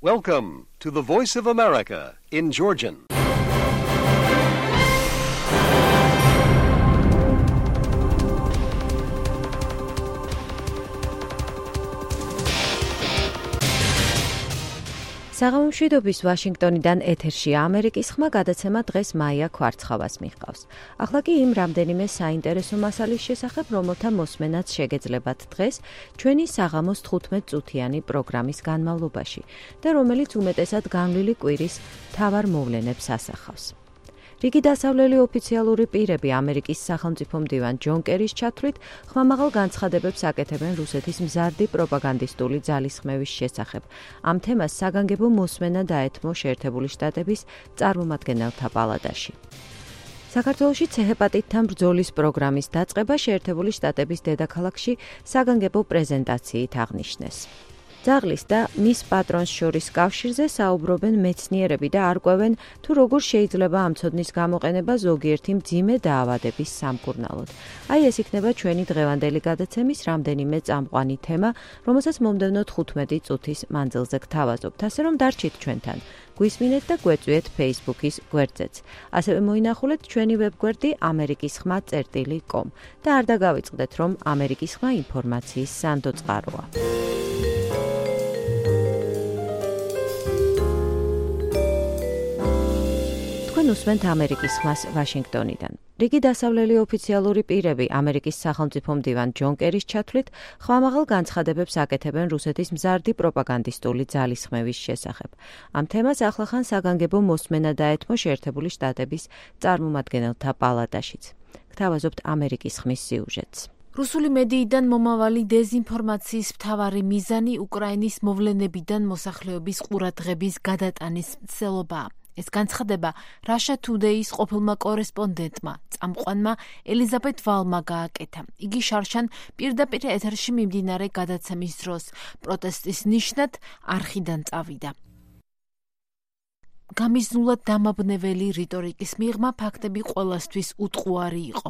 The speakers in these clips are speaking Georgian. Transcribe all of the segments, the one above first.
Welcome to the Voice of America in Georgian. საღამომშვიდობის ვაშინგტონიდან ეთერშია ამერიკის ხმა გადაცემა დღეს მაია ქვარცხავას მიჰყავს. ახლა კი იმ რამდენიმე საინტერესო მასალის შესახებ, რომელთა მოსმენაც შეგეძლებათ დღეს ჩვენი საღამოს 15 წუთიანი პროგრამის განმავლობაში და რომელიც უმეტესად განვლილი კვირის მთავარ მოვლენებს ასახავს. რიგი დასავლელი ოფიციალური პირები ამერიკის სახელმწიფო მდივან ჯონ კერის ჩათვლით ხმამაღალ განცხადებებს აკეთებენ რუსეთის მზარდი პროპაგანდისტული ძალისხმევის შესახებ. ამ თემას საგანგებო მოსმენა დაეთმო შეერთებული შტატების წარმომადგენელთა პალატაში. საქართველოში ცეჰეპატიტთან ბრძოლის პროგრამის დაწყება შეერთებული შტატების დედაქალაქში საგანგებო პრეზენტაციით აღნიშნეს. ძაღლის და მის პატრონს შორის კავშირზე საუბრობენ მეცნიერები და არკვევენ, თუ როგორ შეიძლება ამ ცოდნის გამოყენება ზოგიერთი მძიმე დაავადების სამკურნალოდ. აი ეს იქნება ჩვენი დღევანდელი გადაცემის რამდენიმე წამყვანი თემა, რომელსაც მომდევნო 15 წუთის მანძილზე გთავაზობთ, ასე რომ დარჩით ჩვენთან. გვისმინეთ და გვეწვიეთ Facebook-ის გვერდზეც. ასევე მოინახულეთ ჩვენი ვებგვერდი amerikisxma.com და არ დაგავიწყდეთ, რომ ამერიკის ხმა ინფორმაციის სანდო წყაროა. უსმენთ ამერიკის ხმას ვაშინგტონიდან. რიგი დასავლელი ოფიციალური პირები ამერიკის სახელმწიფო მდივან ჯონ კერის ჩათვლით ხმამაღალ განცხადებებს აკეთებენ რუსეთის მზარდი პროპაგანდისტული ძალისხმევის შესახებ. ამ თემას ახლახან საგანგებო მოსმენა დაეთმო შეერთებული შტატების წარმომადგენელთა პალატაშიც. გთავაზობთ ამერიკის ხმის სიუჟეტს. რუსული მედიიდან მომავალი დეზინფორმაციის მთავარი მიზანი უკრაინის მოვლენებიდან მოსახლეობის ყურადღების გადატანის მცდელობაა. ეს განცხადება Russia Today-ის ყოფილმა კორესპონდენტმა, წამყვანმა ელიზაბეთ ვალმა გააკეთა. იგი შარშან პირდაპირ ეთერში მიმდინარე გადაცემის დროს პროტესტის ნიშნად არხიდან წავიდა. გამიზნულად დამაბნეველი რიტორიკის მიღმა ფაქტები ყველასთვის უტყუარი იყო.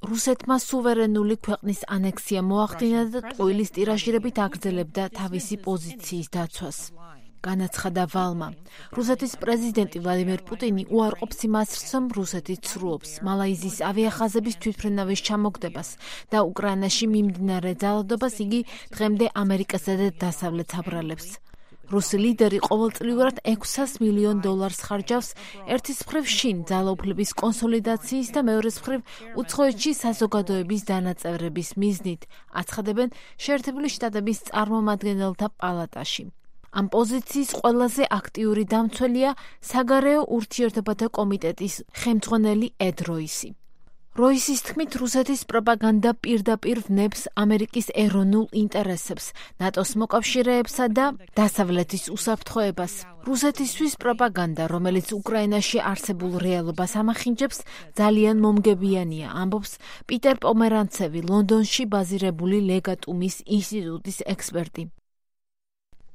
რუსეთმა სუვერენული ქვეყნის ანექსია მოახდინა და ტყუილის ტირაჟირებით აგრძელებდა თავისი პოზიციის დაცვას. განაცხადა ვალმა. რუსეთის პრეზიდენტი ვლადიმერ პუტინი უარყოფს იმას, რომ რუსეთი ცრუობს მალაიზიის ავიახაზების თვითმფრინავის ჩამოგდებას და უკრაინაში მიმდინარე ძალადობას იგი დღემდე ამერიკასა და დასავლეთს აბრალებს. რუსი ლიდერი ყოველწლიურად $600 მილიონ ხარჯავს ერთის მხრივ შინ ძალაუფლების კონსოლიდაციის და მეორეს მხრივ უცხოეთში საზოგადოების დანაწევრების მიზნით, აცხადებენ შეერთებული შტატების წარმომადგენელთა პალატაში. ამ პოზიციის ყველაზე აქტიური დამცველია საგარეო ურთიერთობათა კომიტეტის ხელმძღვანელი ედ როისი. როისის თქმით, რუსეთის პროპაგანდა პირდაპირ ვნებს ამერიკის ეროვნულ ინტერესებს, ნატოს მოკავშირეებსა და დასავლეთის უსაფრთხოებას. რუსეთისთვის პროპაგანდა, რომელიც უკრაინაში არსებულ რეალობას ამახინჯებს, ძალიან მომგებიანია, ამბობს პიტერ პომერანცევი, ლონდონში ბაზირებული ლეგატუმის ინსტიტუტის ექსპერტი.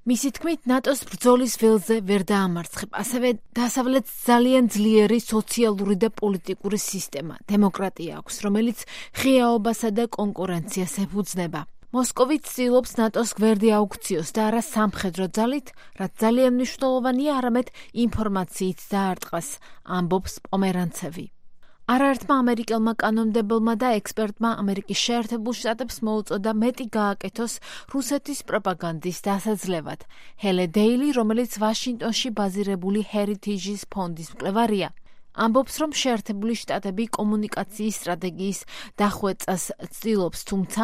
მისი თქმით, ნატოს ბრძოლის ველზე ვერ დაამარცხებ, ასევე დასავლეთს ძალიან ძლიერი სოციალური და პოლიტიკური სისტემა, დემოკრატია აქვს, რომელიც ღიაობასა და კონკურენციას ეფუძნება. მოსკოვი ცდილობს ნატოს გვერდი აუქციოს და არა სამხედრო ძალით, რაც ძალიან მნიშვნელოვანია არამედ ინფორმაციით დაარტყას, ამბობს პომერანცევი. არაერთმა ამერიკელმა კანონმდებელმა და ექსპერტმა ამერიკის შეერთებულ შტატებს მოუწოდა მეტი გააკეთოს რუსეთის პროპაგანდის დასაძლევად. ჰელე დეილი, რომელიც ვაშინგტონში ბაზირებული ჰერიტეჯის ფონდის მკვლევარია, ამბობს, რომ შეერთებული შტატები კომუნიკაციის სტრატეგიის დახვეწას ცდილობს, თუმცა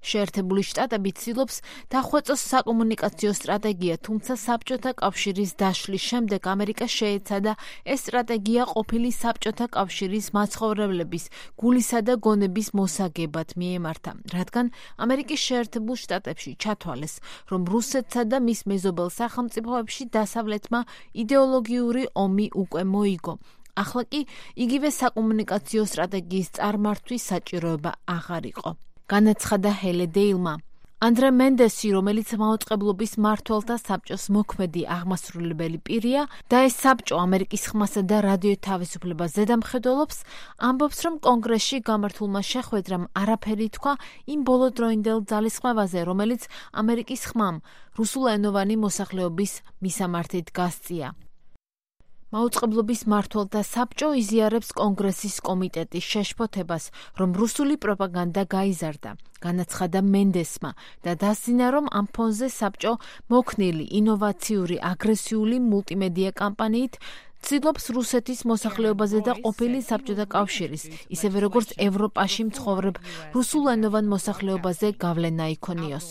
შეერთებული შტატები ცდილობს დახვეწოს საკომუნიკაციო სტრატეგია, თუმცა საბჭოთა კავშირის დაშლის შემდეგ ამერიკა შეეცადა ეს სტრატეგია ყოფილი საბჭოთა კავშირის მაცხოვრებლების გულისა და გონების მოსაგებად მიემართა, რადგან ამერიკის შეერთებულ შტატებში ჩათვალეს, რომ რუსეთსა და მის მეზობელ სახელმწიფოებში დასავლეთმა იდეოლოგიური ომი უკვე მოიგო. ახლა კი იგივე საკომუნიკაციო სტრატეგიის წარმართვის საჭიროება აღარ იყო. განაცხადა ჰელე დეილმა. ანდრე მენდესი, რომელიც მაუწყებლობის მმართველთა საბჭოს მოქმედი აღმასრულებელი პირია და ეს საბჭო ამერიკის ხმასა და რადიო თავისუფლებას ზედამხედველობს, ამბობს, რომ კონგრესში გამართულმა შეხვედრამ არაფერი თქვა იმ ბოლოდროინდელ ძალისხმევაზე, რომელიც ამერიკის ხმამ რუსულენოვანი მოსახლეობის მისამართით გასწია. მაუწყებლობის მმართველთა საბჭო იზიარებს კონგრესის კომიტეტის შეშფოთებას, რომ რუსული პროპაგანდა გაიზარდა, განაცხადა მენდესმა და დასძინა, რომ ამ ფონზე საბჭო მოქნილი ინოვაციური აგრესიული მულტიმედია კამპანიით ცდილობს რუსეთის მოსახლეობაზე და ყოფილი საბჭოთა კავშირის, ისევე როგორც ევროპაში მცხოვრებ რუსულენოვან მოსახლეობაზე გავლენა იქონიოს.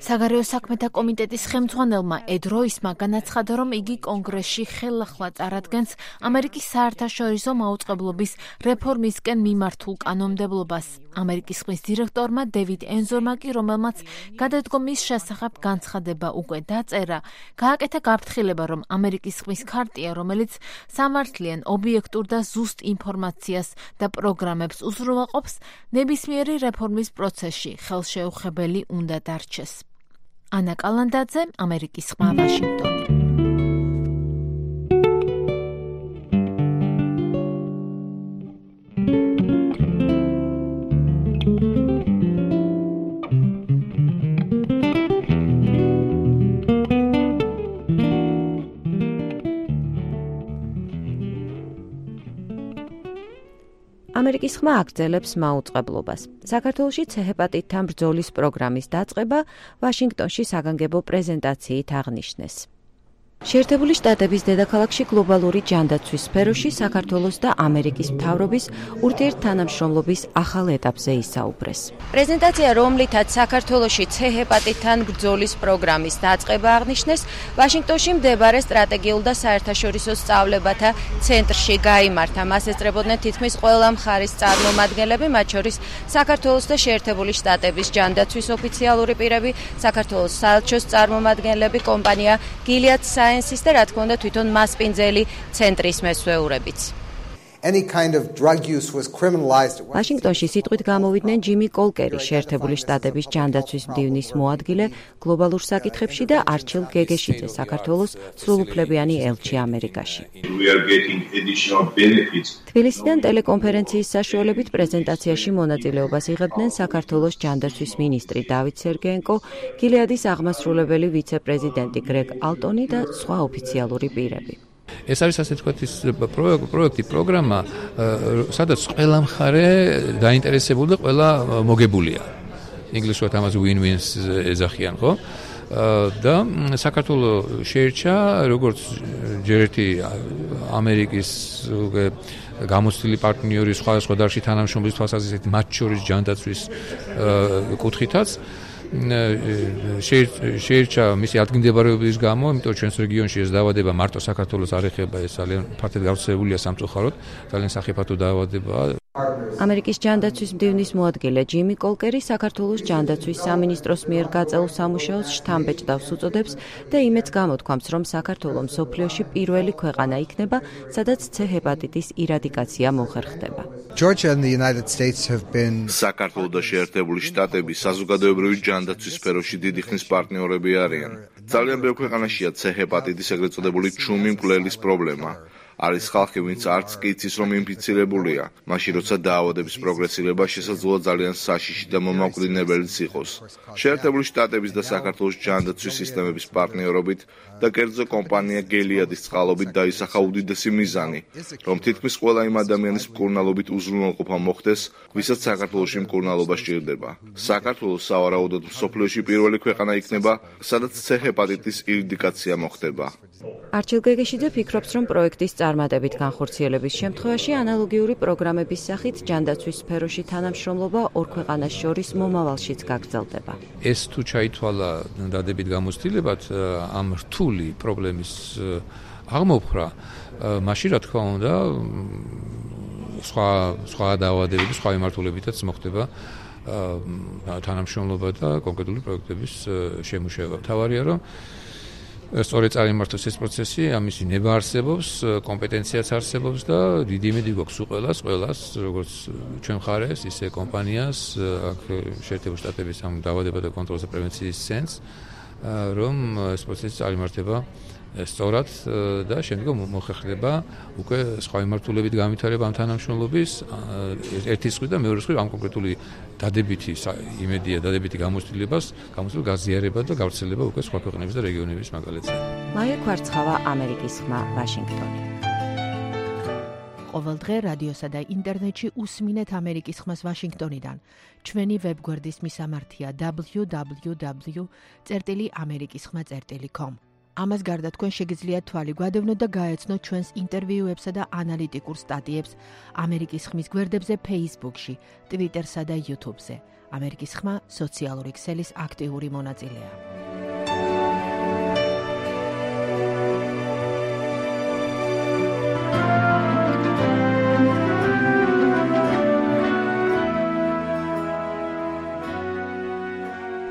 საგარეო საქმეთა კომიტეტის ხელმძღვანელმა ედ როისმა განაცხადა, რომ იგი კონგრესში ხელახლა წარადგენს ამერიკის საერთაშორისო მაუწყებლობის რეფორმისკენ მიმართულ კანონმდებლობას. ამერიკის ხმის დირექტორმა დევიდ ენზორმა კი, რომელმაც გადადგომის შესახებ განცხადება უკვე დაწერა, გააკეთა გაფრთხილება, რომ ამერიკის ხმის ქარტია, რომელიც სამართლიან, ობიექტურ და ზუსტ ინფორმაციას და პროგრამებს უზრუნველყოფს, ნებისმიერი რეფორმის პროცესში ხელშეუხებელი უნდა დარჩეს. ანა კალანდაძე, ამერიკის ხმა, ვაშინგტონი. ამერიკის ხმა აგრძელებს მაუწყებლობას. საქართველოში C-ჰეპატიტთან ბრძოლის პროგრამის დაწყება ვაშინგტონში საგანგებო პრეზენტაციით აღნიშნეს. შეერთებული შტატების დედაქალაქში გლობალური ჯანდაცვის სფეროში საქართველოს და ამერიკის მთავრობის ურთიერთთანამშრომლობის ახალ ეტაპზე ისაუბრეს. პრეზენტაცია, რომლითაც საქართველოში C-ჰეპატიტთან ბრძოლის პროგრამის დაწყება აღნიშნეს, ვაშინგტონში მდებარე სტრატეგიულ და საერთაშორისო სწავლებათა ცენტრში გაიმართა. მას ესწრებოდნენ თითქმის ყველა მხარის წარმომადგენლები, მათ შორის საქართველოს და შეერთებული შტატების ჯანდაცვის ოფიციალური პირები, საქართველოს საელჩოს წარმომადგენლები, კომპანია Gilead Sciences და რა თქმა უნდა თვითონ მასპინძელი ცენტრის მესვეურებიც. ვაშინგტონში სიტყვით გამოვიდნენ ჯიმი კოლკერი, შეერთებული შტატების ჯანდაცვის მდივნის მოადგილე გლობალურ საკითხებში და არჩილ გეგეშიძე, საქართველოს სრულუფლებიანი ელჩი ამერიკაში. თბილისიდან ტელეკონფერენციის საშუალებით პრეზენტაციაში მონაწილეობას იღებდნენ საქართველოს ჯანდაცვის მინისტრი დავით სერგეენკო, გილეადის აღმასრულებელი ვიცე-პრეზიდენტი გრეგ ალტონი და სხვა ოფიციალური პირები. ეს არის ასე თქვათ ის პროექტი, პროგრამა, სადაც ყველა მხარე დაინტერესებული და ყველა მოგებულია. ინგლისურად ამაზე win-wins ეძახიან, ხო? და საქართველოს შეერჩა როგორც ჯერ ერთი ამერიკის გამოცდილი პარტნიორი სხვადასხვა დარგში თანამშრომლობის თვალსაზრისით, მათ შორის ჯანდაცვის კუთხითაც. შეერჩა მისი ადგილმდებარეობის გამო, იმიტომ ჩვენს რეგიონში ეს დაავადება მარტო საქართველოს არ ეხება, ეს ძალიან ფართედ გავრცელებულია სამწუხაროდ, ძალიან სახიფათო დაავადებაა. ამერიკის ჯანდაცვის მდივნის მოადგილე ჯიმი კოლკერი საქართველოს ჯანდაცვის სამინისტროს მიერ გაწეულ სამუშაოს შთამბეჭდავს უწოდებს და იმედს გამოთქვამს, რომ საქართველო მსოფლიოში პირველი ქვეყანა იქნება, სადაც C-ჰეპატიტის ირადიკაცია მოხერხდება. საქართველო და შეერთებული შტატები საზოგადოებრივი ჯანდაცვის სფეროში დიდი ხნის პარტნიორები არიან. ძალიან ბევრ ქვეყანაშია C-ჰეპატიტის ეგრეთ წოდებული ჩუმი მკვლელის პრობლემა. არის ხალხი, ვინც არც კი იცის, რომ ინფიცირებულია, მაშინ როცა დაავადების პროგრესირება შესაძლოა ძალიან საშიში და მომაკვდინებელიც იყოს. შეერთებული შტატების და საქართველოს ჯანდაცვის სისტემების პარტნიორობით და კერძო კომპანია Gilead-ის წყალობით დაისახა უდიდესი მიზანი, რომ თითქმის ყველა იმ ადამიანის მკურნალობით უზრუნველყოფა მოხდეს, ვისაც საქართველოში მკურნალობა სჭირდება. საქართველოს სავარაუდოდ მსოფლიოში პირველი ქვეყანა იქნება, სადაც C-ჰეპატიტის ირადიკაცია მოხდება. არჩილ გეგეშიძე ფიქრობს, რომ პროექტის წარმატებით განხორციელების შემთხვევაში ანალოგიური პროგრამების სახით ჯანდაცვის სფეროში თანამშრომლობა ორ ქვეყანას შორის მომავალშიც გაგრძელდება. ეს თუ ჩაითვალა დადებით გამოცდილებად ამ რთული პრობლემის აღმოფხვრა, მაშინ რა თქმა უნდა სხვა დაავადებების, სხვა მიმართულებითაც მოხდება თანამშრომლობა და კონკრეტული პროექტების შემუშავება. თავარია, რომ სწორედ წარიმართოს ეს პროცესი, ამისი ნება არსებობს, კომპეტენციაც არსებობს და დიდი იმედი გვაქვს ყველას, როგორც ჩვენ მხარეს, ისე კომპანიას, აქ შეერთებული შტატების ამ დაავადება და კონტროლსა პრევენციის ცენტრს, რომ ეს პროცესი წარიმართება სწორად და შემდგომ მოხერხდება უკვე სხვა მიმართულებით განვითარება ამ თანამშრომლობის ერთი სხვი და მეორე სხვი ამ კონკრეტული დადებითი იმედია დადებითი გამოცდილებას გაზიარება და გავრცელება უკვე სხვა ქვეყნების და რეგიონების მაგალითზე. მაია კვარცხავა, ამერიკის ხმა, ვაშინგტონი. ყოველ დღე რადიოსა და ინტერნეტში უსმინეთ ამერიკის ხმას ვაშინგტონიდან. ჩვენი ვებგვერდის მისამართია www.amerikiskhma.com. ამას გარდა თქვენ შეგიძლიათ თვალი გვადევნოთ და გაეცნოთ ჩვენს ინტერვიუებსა და ანალიტიკურ სტატიებს ამერიკის ხმის გვერდებზე Facebook-ში, Twitter-სა და YouTube-ზე. ამერიკის ხმა სოციალური ქსელის აქტიური მონაწილეა.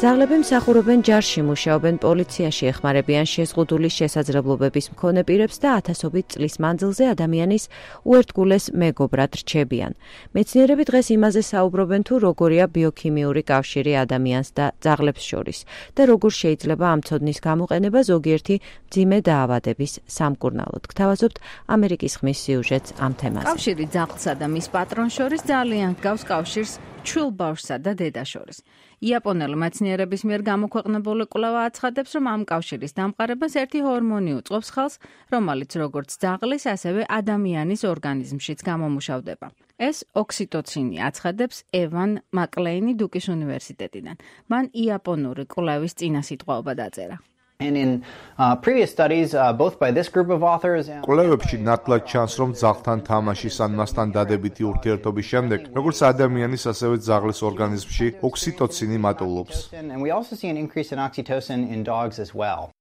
ძაღლები მსახურობენ ჯარში, მუშაობენ პოლიციაში, ეხმარებიან შეზღუდული შესაძლებლობების მქონე პირებს და ათასობით წლის მანძილზე ადამიანის უერთგულეს მეგობრად რჩებიან. მეცნიერები დღეს იმაზე საუბრობენ, თუ როგორია ბიოქიმიური კავშირი ადამიანს და ძაღლებს შორის და როგორ შეიძლება ამ ცოდნის გამოყენება ზოგიერთი მძიმე დაავადების სამკურნალოდ. გთავაზობთ ამერიკის ხმის სიუჟეტს ამ თემაზე. კავშირი ძაღლსა და მის პატრონს შორის ძალიან ჰგავს კავშირს ჩვილ ბავშვსა და დედას შორის. იაპონელი მეცნიერების მიერ გამოქვეყნებული კვლევა აცხადებს, რომ ამ კავშირის დამყარებას ერთი ჰორმონი უწყობს ხელს, რომელიც როგორც ძაღლის, ასევე ადამიანის ორგანიზმშიც გამომუშავდება. ეს ოქსიტოცინი აცხადებს ევან მაკლეინი დუკის უნივერსიტეტიდან. მან იაპონური კვლევის წინასიტყვაობა დაწერა. And in previous studies, both by this group of authors and კვლევებში ნათლად ჩანს, რომ ძაღლთან თამაშის ან მასთან დადებითი ურთიერთობის შემდეგ, როგორც ადამიანის, ასევე ძაღლის ორგანიზმში ოქსიტოცინი მატულობს. and we also see an increase in oxytocin in dogs as well.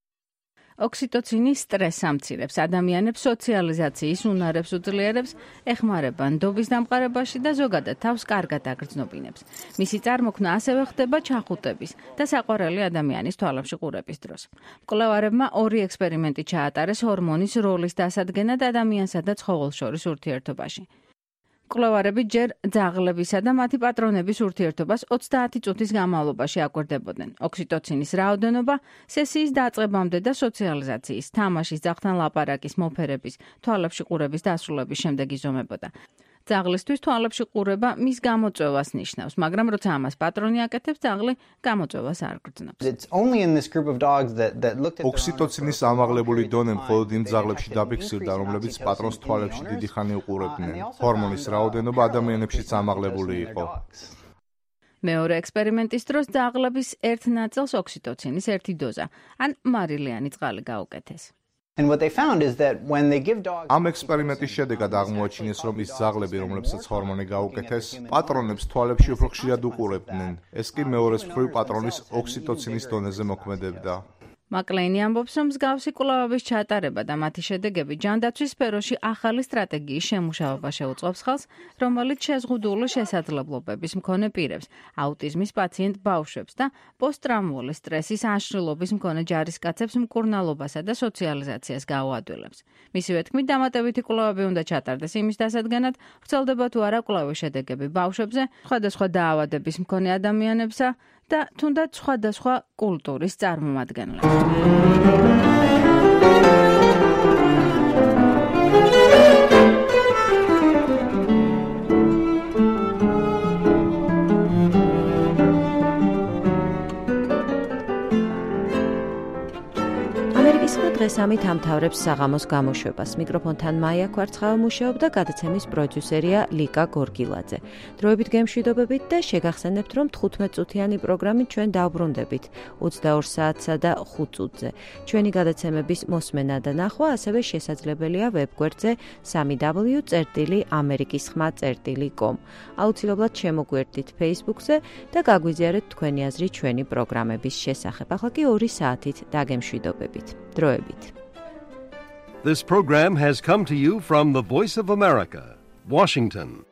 ოქსიტოცინი სტრესს ამცირებს, ადამიანებს სოციალიზაციის უნარებს უძლიერებს, ეხმარება ნდობის დამყარებაში და ზოგადად თავს კარგად აგრძნობინებს. მისი წარმოქმნა ასევე ხდება ჩახუტების და საყვარელი ადამიანის თვალებში ყურების დროს. მკვლევარებმა ორი ექსპერიმენტი ჩაატარეს ჰორმონის როლის დასადგენად ადამიანსა და ცხოველს შორის ურთიერთობაში. მკვლევარები ჯერ ძაღლებისა და მათი პატრონების ურთიერთობას 30 წუთის განმავლობაში აკვირდებოდნენ. ოქსიტოცინის რაოდენობა სესიის დაწყებამდე და სოციალიზაციის, თამაშის, ძაღლთან ლაპარაკის, მოფერების, თვალებში ყურების დასრულების შემდეგ იზომებოდა. ძაღლისთვის თვალებში ყურება მის გამოწვევას ნიშნავს, მაგრამ როცა ამას პატრონი აკეთებს, ძაღლი გამოწვევას არ გრძნობს. It's only in this group of dogs that looked at ოქსიტოცინის ამაღლებული დონე მხოლოდ იმ ძაღლებში დაფიქსირდა, რომლებიც პატრონს თვალებში დიდი ხანი უყურებდნენ. ჰორმონის რაოდენობა ადამიანებშიც ამაღლებული იყო. მეორე ექსპერიმენტის დროს ძაღლების ერთ ნაწილს ოქსიტოცინის ერთი დოზა, ან მარილიანი წყალი გაუკეთეს. And what they found is that when they give dogs ამ ექსპერიმენტის შედეგად აღმოაჩინეს, რომ ის ძაღლები, რომლებსაც ჰორმონი გაუკეთეს, პატრონებს თვალებში უფრო ხშირად უყურებდნენ. ეს კი მეორეს მხრივ პატრონის ოქსიტოცინის დონეზე მოქმედებდა. მაკლეინი ამბობს, რომ მსგავსი კვლევების ჩატარება და მათი შედეგები ჯანდაცვის სფეროში ახალი სტრატეგიის შემუშავება შეუწყობს ხელს, რომელიც შეზღუდული შესაძლებლობების მქონე პირებს, აუტიზმის პაციენტ ბავშვებს და პოსტტრაუმული სტრესის აშლილობის მქონე ჯარისკაცებს მკურნალობასა და სოციალიზაციას გაუადვილებს. მისივე თქმით, დამატებითი კვლევები უნდა ჩატარდეს იმის დასადგენად, ვრცელდება თუ არა კვლევის შედეგები ბავშვებზე, სხვადასხვა დაავადების მქონე ადამიანებსა და თუნდაც სხვადასხვა კულტურის წარმომადგენლებს. დღეს ამით ამთავრებს საღამოს გამოშვებას. მიკროფონთან მაია კვარცხავა მუშაობდა, გადაცემის პროდიუსერია ლიკა გორგილაძე. დროებით გემშვიდობებით და შეგახსენებთ, რომ 15 წუთიანი პროგრამით ჩვენ დავბრუნდებით 22 საათსა და 5 წუთზე. ჩვენი გადაცემების მოსმენა და ნახვა ასევე შესაძლებელია ვებგვერდზე www.amerikiskhma.com. აუცილებლად შემოგვერდით Facebook-ზე და გაგვიზიარეთ თქვენი აზრი ჩვენი პროგრამების შესახებ. ახლა კი 2 საათით დაგემშვიდობებით. დროებით. This program has come to you from the Voice of America, Washington.